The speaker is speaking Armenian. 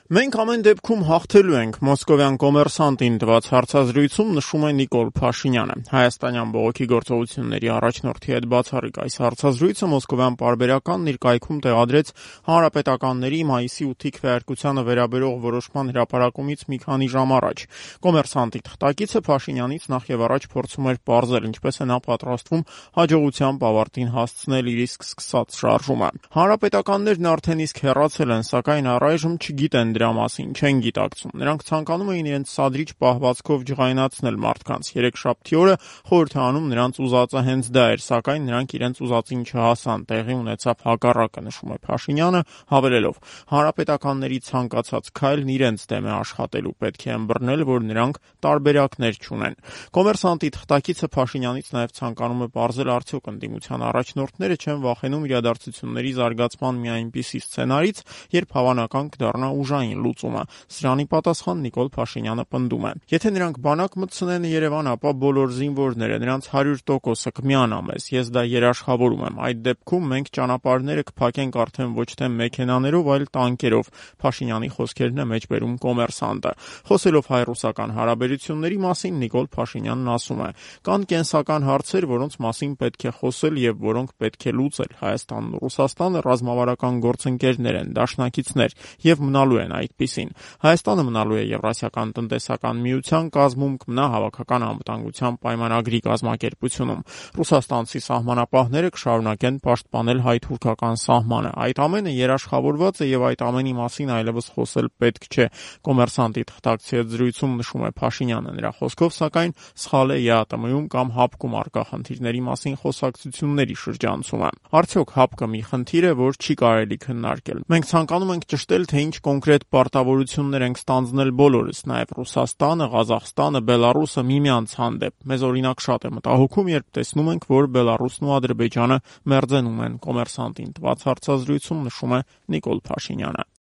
Մենք ամեն դեպքում հաղթելու ենք, մոսկովյան կոմերսանտին տված հարցազրույցում նշում է Նիկոլ Փաշինյանը։ Հայաստանյան բողոքի գործողությունների առաջնորդի հետ բացառիկ այս հարցազրույցը մոսկովյան պարբերականն իր կայքում տեղադրեց հանրապետականների մայիսի 8-ի քվեարկությանը վերաբերող որոշման հրապարակումից մի քանի ժամ առաջ։ Կոմերսանտի թղթակիցը Փաշինյանից նախ եւ առաջ փորձում էր պարզել, ինչպես է նա պատրաստվում հաջողությամբ ավարտին հասցնել իր իսկ սկսած շարժումը։ Հանրապետականներն արդեն իսկ հեռացել են, սակայն առայժմ չգիտեն դրա մասին, չեն գիտակցում։ Նրանք ցանկանում էին իրենց սադրիչ պահվածքով ջղայնացնել մարդկանց։ Երեքշաբթի օրը խորհուրդ է անում նրանց ուզածը հենց դա էր, սակայն նրանք իրենց ուզածին չհասան, տեղի ունեցավ հակառակը, նշում է Փաշինյանը, հավելելով. հանրապետականների ցանկացած քայլն իրենց դեմ է աշխատելու, պետք է ըմբռնել, որ նրանք տարբերակներ չունեն։ Կոմերսանտի թղթակիցը Փաշինյանից նաև ցանկանում է պարզել, արդյոք ընդդիմության առաջնորդները չեն վախենում իրադարձությունների զարգացման մի այնպիսի սցենարից, երբ հավանական կդառնա ուժային լուծումը։ Սրանի պատասխան Նիկոլ Փաշինյանը պնդում է. եթե նրանք բանակ մտցնեն Երևան, ապա բոլոր զինվորները, նրանց 100%-ը կմիանա մեզ, ես դա երաշխավորում եմ։ Այդ դեպքում մենք ճանապարհները կփակենք արդեն ոչ թե մեքենաներով, այլ տանկերով։ Փաշինյանի խոսքերն է մեջբերում Կոմերսանտը։ Խոսելով հայ-ռուսական հարաբերությունների մասին, Նիկոլ Փաշինյանն ասում է. կան կենսական հարցեր, որոնց մասին պետք է խոսել եւ որոնք պետք է լուծել։ Հայաստանն ու Ռուսաստանը ռազմավարական գործընկերներ են, դաշնակիցներ եւ մնալու են այդպիսին։ Հայաստանը մնալու է Եվրասիական տնտեսական միության կազմում, կմնա հավաքական անվտանգության պայմանագրի կազմակերպությունում։ Ռուսաստանցի սահմանապահները կշարունակեն պաշտպանել հայ-թուրքական սահմանը։ Այդ ամենը երաշխավորված է եւ այդ ամենի մասին այլևս խոսել պետք չէ։ Կոմերսանտի թղթակցի հետ զրույցում նշում է Փաշինյանը, նրա խոսքով սակայն սխալ է ԵԱՏՄ-ում կամ ՀԱՊԿ-ում առկա խնդիրների մասին խոսակցությունների շրջանցումը։ Արդյոք ՀԱՊԿ-ը մի խնդիր է, որ չի կարելի քննարկել։ Մենք ցանկանում ենք ճշտել, թե ինչ կոնկրետ պարտավորություններ ենք ստանձնել բոլորս, նաև Ռուսաստանը, Ղազախստանը, Բելառուսը միմյանց հանդեպ։ Մեզ օրինակ շատ է մտահոգում, երբ տեսնում ենք, որ Բելառուսն ու Ադրբեջանը մերձենում են։ Կոմերսանտին տված հարցազրույցում նշում է Նիկոլ Փաշինյանը։